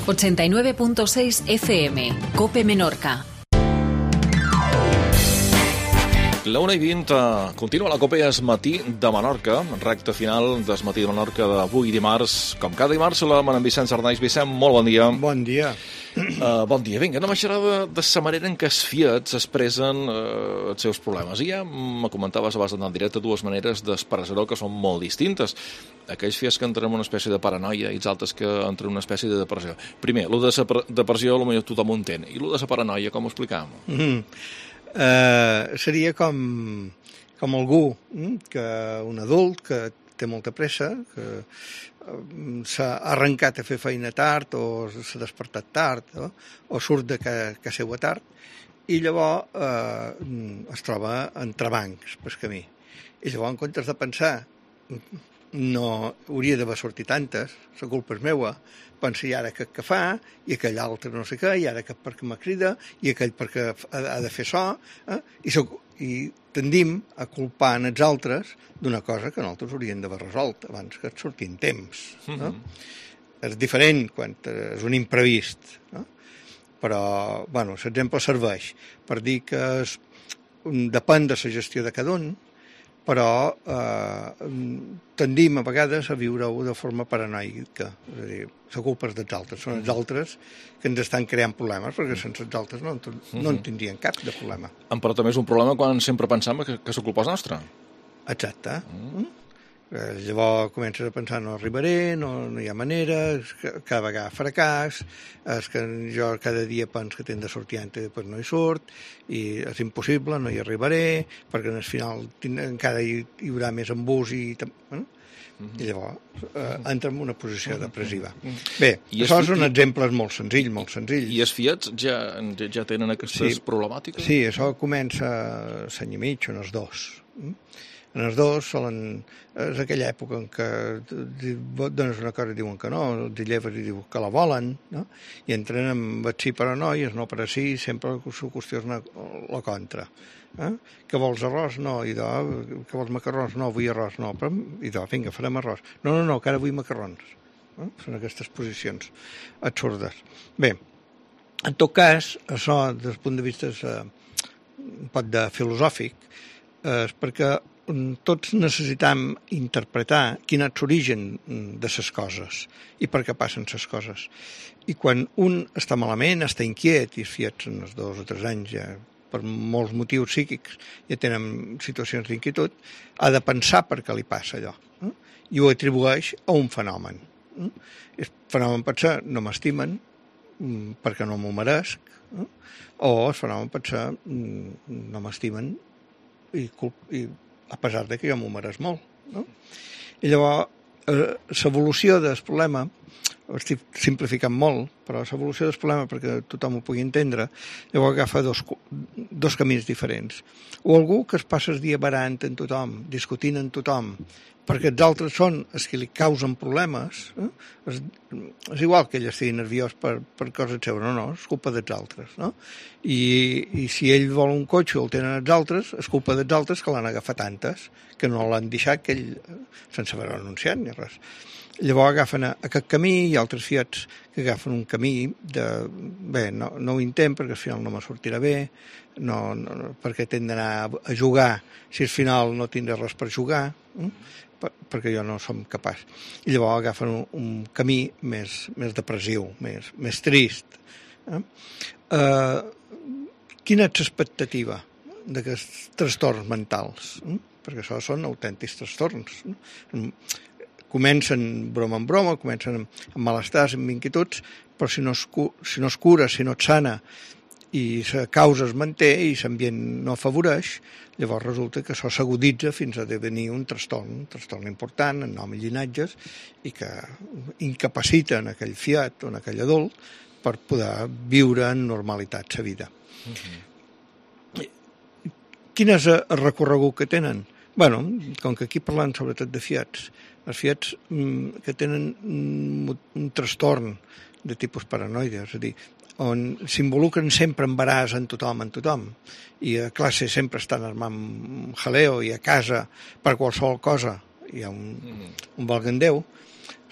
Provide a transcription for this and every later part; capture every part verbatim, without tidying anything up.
ochenta y nueve punto seis F M, COPE Menorca. La una i vint, continua la COPE Es Matí de Menorca, recta final d'Es Matí de Menorca d'avui dimarts. Com cada dimarts, saludem en Vicent Sarnais. Vicent, molt bon dia. Bon dia. Uh, bon dia. Vinga, anem a xerrar de, de la manera en què els Fiats expressen uh, els seus problemes. I ja me comentaves abans d'anar en directe dues maneres d'expressar-ho que són molt distintes. Aquells Fiats que entren en una espècie de paranoia i els altres que entren en una espècie de depressió. Primer, el de la depressió potser tothom ho entén. I el de la paranoia, com ho explicàvem? Mm. Uh, seria com, com algú, que un adult que té molta pressa, que uh, s'ha arrencat a fer feina tard o s'ha despertat tard, no? O surt de casa seva tard, i llavors uh, es troba entre bancs pel camí. I llavors, en comptes de pensar no hauria d'haver sortit tantes, la culpa és meua, pensa i ara aquest que fa, i aquell altre no sé què, i ara aquest perquè me crida, i aquell perquè ha, ha de fer so, eh? I, soc, i tendim a culpar en els altres d'una cosa que nosaltres hauríem d'haver resolt abans que et surti en temps. No? Mm-hmm. És diferent quan és un imprevist, no? Però, bueno, l'exemple serveix per dir que és, depèn de la gestió de cada un, però eh, tendim a vegades a viure-ho de forma paranoica, és a dir, la culpa és dels altres, són els altres que ens estan creant problemes, perquè sense els altres no, no en tindrien cap de problema. Però també és un problema quan sempre pensam que, que la culpa és nostra. Exacte. Mm. Llavors comences a pensar no arribaré, no, no hi ha manera, cada vegada fracàs, és que jo cada dia penso que tinc de sortir antes i després no hi surt, i és impossible, no hi arribaré, perquè al final encara hi, hi haurà més embús i... Bueno, i llavors eh, entra en una posició depressiva. Bé, I això són exemples molt senzills, molt senzills. I els Fiats ja, ja tenen aquestes sí, problemàtiques? Sí, això comença a l'any i mig, on els dos. En els dos solen... És aquella època en què dones una cosa i diuen que no, els lleves i diuen que la volen, no? I entren amb el sí però no, i el no per a sí, sempre la qüestió és una, la contra. Eh? Que vols arròs? No. I de, que vols macarrons? No, vull arròs. No. Però, i de, vinga, farem arròs. No, no, no, que ara vull macarrons. Eh? Són aquestes posicions absurdes. Bé, en tot cas, això, des del punt de vista eh, un poc de filosòfic, és eh, perquè tots necessitam interpretar quin és l'origen de les coses i per què passen les coses. I quan un està malament, està inquiet, i els Fiats en els dos o tres anys ja, per molts motius psíquics, ja tenen situacions d'inquietud, ha de pensar per què li passa allò. Eh? I ho atribueix a un fenomen. Eh? El fenomen pot ser no m'estimen perquè no m'ho meresc, eh? O el fenomen pot ser no m'estimen i, i a pesar de que jo m'ho mereix molt. No? I llavors, eh, l'evolució del problema, ho estic simplificant molt, però l'evolució del problema, perquè tothom ho pugui entendre, llavors agafa dos, dos camins diferents. O algú que es passa el dia barant en tothom, discutint en tothom, perquè els altres són els que li causen problemes, eh? és, és igual que ell estigui nerviós per, per coses seves, no, no, és culpa dels altres, no? I, i si ell vol un cotxe o el tenen els altres, és culpa dels altres que l'han agafat tantes, que no l'han deixat, que ell, sense haver-ho anunciat ni res. Llavors agafen aquest camí i altres Fiats que agafen un camí de, bé, no, no ho intent perquè al final no me sortirà bé, no, no, perquè tinc d'anar a jugar si al final no tindré res per jugar, eh? per, perquè jo no som capaç. I llavors agafen un, un camí més, més depressiu, més, més trist. Eh? Uh, quina és l'expectativa d'aquests trastorns mentals? Eh? Perquè això són autèntics trastorns. Eh? Comencen broma en broma, comencen amb malestars, amb inquietuds, però si no es, si no es cura, si no et sana i la causa es manté i l'ambient no afavoreix, llavors resulta que això s'aguditza fins a devenir un trastorn, un trastorn important en nom i llinatges i que incapacita en aquell Fiat o en aquell adult per poder viure en normalitat la vida. Mm-hmm. Quin és el recorregut que tenen? Bueno, com que aquí parlant sobretot de Fiats, els Fiats mm, que tenen un, un trastorn de tipus paranoide, és a dir, on s'involucren sempre en baràs en tothom, en tothom, i a classe sempre estan armant jaleo i a casa per qualsevol cosa hi ha un, un valgandeu,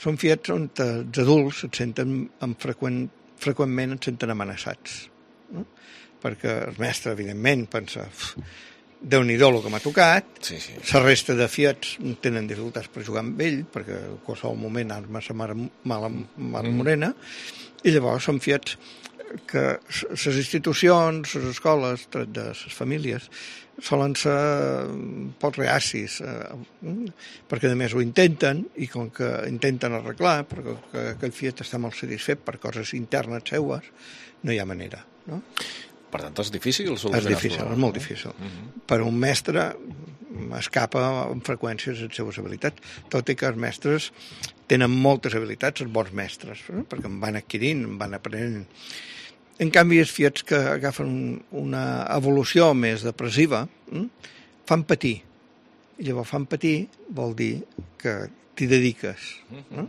són fiets on els adults et senten amb freqüent, freqüentment et senten amenaçats. No? Perquè el mestre, evidentment, pensa Déu-n'hi-do el que m'ha tocat, sí, sí. La resta de fiets tenen dificultats per jugar amb ell, perquè en qualsevol moment arma sa mare mala mare morena, i llavors són fiets que les institucions, les escoles, tret de les famílies, solen ser poc reacis, eh, perquè a més ho intenten, i com que intenten arreglar, perquè que aquell fiet està molt satisfet per coses internes seues, no hi ha manera, no? Per tant, és difícil solucionar. És difícil, és molt difícil. Uh-huh. Per un mestre escapa amb freqüències les seves habilitats, tot i que els mestres tenen moltes habilitats, els bons mestres, eh? Perquè en van adquirint, en van aprenent. En canvi, els fiets que agafen una evolució més depressiva eh? fan patir. I llavors fan patir vol dir que t'hi dediques. Eh?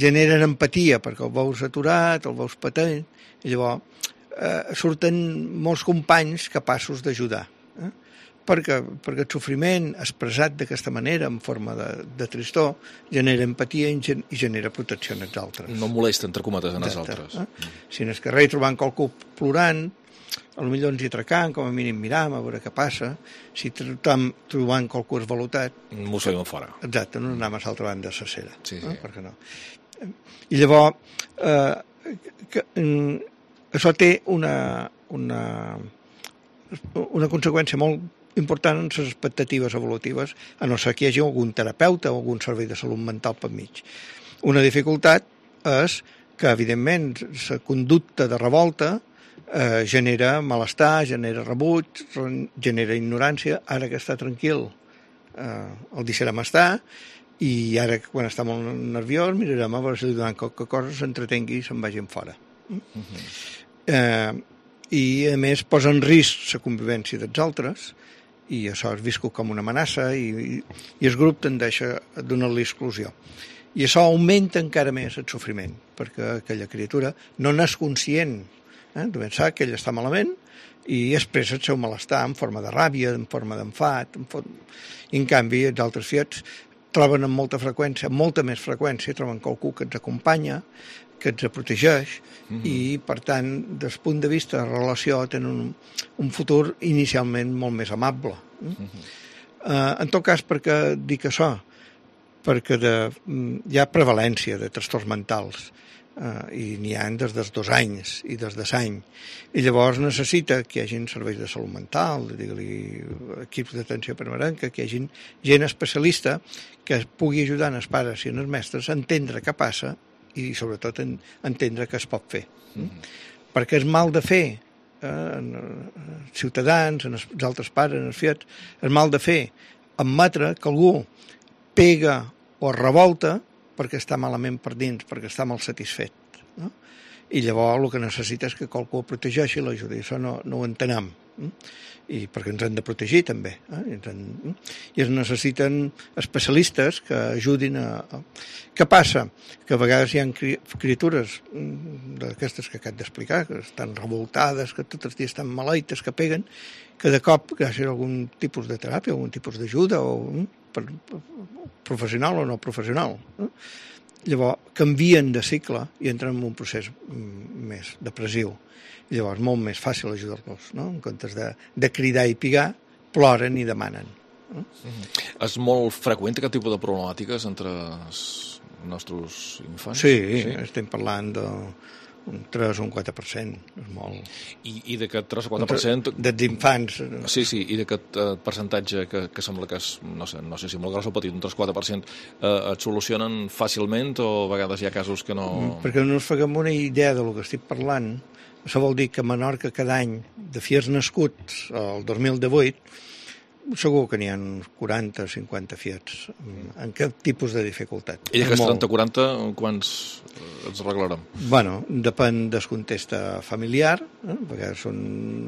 Generen empatia perquè el veus aturat, el veus patent, i llavors Eh, surten molts companys capaços d'ajudar, eh? perquè, perquè el sofriment expressat d'aquesta manera, en forma de, de tristor, genera empatia i, gen, i genera protecció en els altres. No molesta, entre cometes, en els altres. Eh? Si en el carrer trobant qualcú plorant, potser ens hi atracant, com a mínim miram a veure què passa. Si trobam, trobant qualcú esvalutat... Mos feim fora. Exacte, no anem a l'altra banda de la cera. Sí, sí. Eh? Per què no? I llavors... Eh, que, que, això té una, una, una conseqüència molt important en les expectatives evolutives, a no ser que hi hagi algun terapeuta o algun servei de salut mental per mig. Una dificultat és que, evidentment, la conducta de revolta eh, genera malestar, genera rebuig, genera ignorància. Ara que està tranquil, eh, el deixarem estar, i ara, quan està molt nerviós, mirarem a veure si li donem qualque cosa, s'entretengui i se'n vagin fora. Uh-huh. Eh, i a més posa en risc la convivència dels altres, i això és viscut com una amenaça, i, i, i el grup tendeix a donar-li exclusió, i això augmenta encara més el sofriment, perquè aquella criatura no n'és conscient, eh? Només sap que ell està malament i expressa el seu malestar en forma de ràbia, en forma d'enfat, en, forma... I en canvi els altres fiets troben amb molta freqüència, amb molta més freqüència, troben qualcú que ens acompanya, que ens protegeix, mm-hmm. i, per tant, des del punt de vista de relació, tenen un, un futur inicialment molt més amable. Mm-hmm. Uh, en tot cas, perquè dic això? Perquè de, hi ha prevalència de trastorns mentals, uh, i n'hi ha des dels dos anys i des de l'any. I llavors necessita que hi hagi serveis de salut mental, digue-li equips d'atenció primerenca, que hi hagi gent especialista que pugui ajudar els pares i els mestres a entendre què passa i sobretot en, entendre què es pot fer. Mm-hmm. Perquè és mal de fer, eh, en, en ciutadans, en els altres pares, en els fiets, és mal de fer admetre que algú pega o revolta perquè està malament per dins, perquè està mal satisfet. No? I llavors el que necessita és que qualcú el protegeixi i l'ajudi. Això no, no ho entenem. Eh? I perquè ens han de protegir també, eh? I, ens han... I es necessiten especialistes que ajudin a... Què passa? Que a vegades hi ha criatures d'aquestes que acabo d'explicar, que estan revoltades, que tots els dies estan maleites, que peguen, que de cop, gràcies a algun tipus de teràpia, algun tipus d'ajuda, o per, professional o no professional, eh? Llavors canvien de cicle i entren en un procés més depressiu. I llavors és molt més fàcil ajudar-los, no? En comptes de, de cridar i pigar, ploren i demanen. No? Mm-hmm. És molt freqüent aquest tipus de problemàtiques entre els nostres infants? Sí, sí? Estem parlant de un tres o un quatre per cent, és molt... I, i d'aquest tres o quatre per cent... Dels infants... Sí, sí, i d'aquest uh, percentatge que, que sembla que és, no sé, no sé si molt gros o petit, un tres o quatre per cent, uh, et solucionen fàcilment o a vegades hi ha casos que no... Perquè no ens faguem una idea del que estic parlant, això vol dir que a Menorca cada any, de fiers nascuts el dos mil divuit, segur que n'hi ha uns quaranta o cinquanta fiets en cap tipus de dificultat. I aquests trenta o quaranta, quants ens arreglarem? Bueno, depèn del context familiar, eh? A vegades són,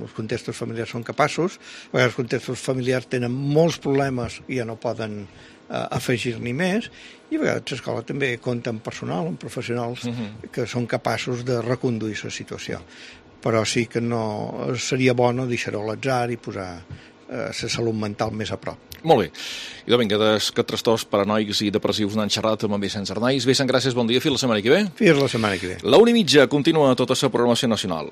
els contextos familiars són capaços, a vegades els contextos familiars tenen molts problemes i ja no poden eh, afegir-n'hi més, i a vegades l'escola també compta amb personal, amb professionals uh-huh. que són capaços de reconduir la situació. Però sí que no seria bo no deixar-ho a l'atzar i posar la salut mental més a prop. Molt bé. I de vinga, que trastorns paranoics i depressius n'han xerrat amb en Vicenç Arnaiz. Vicenç, gràcies, bon dia, fins la setmana que ve. Fins la setmana que ve. La una i mitja continua tota la programació nacional.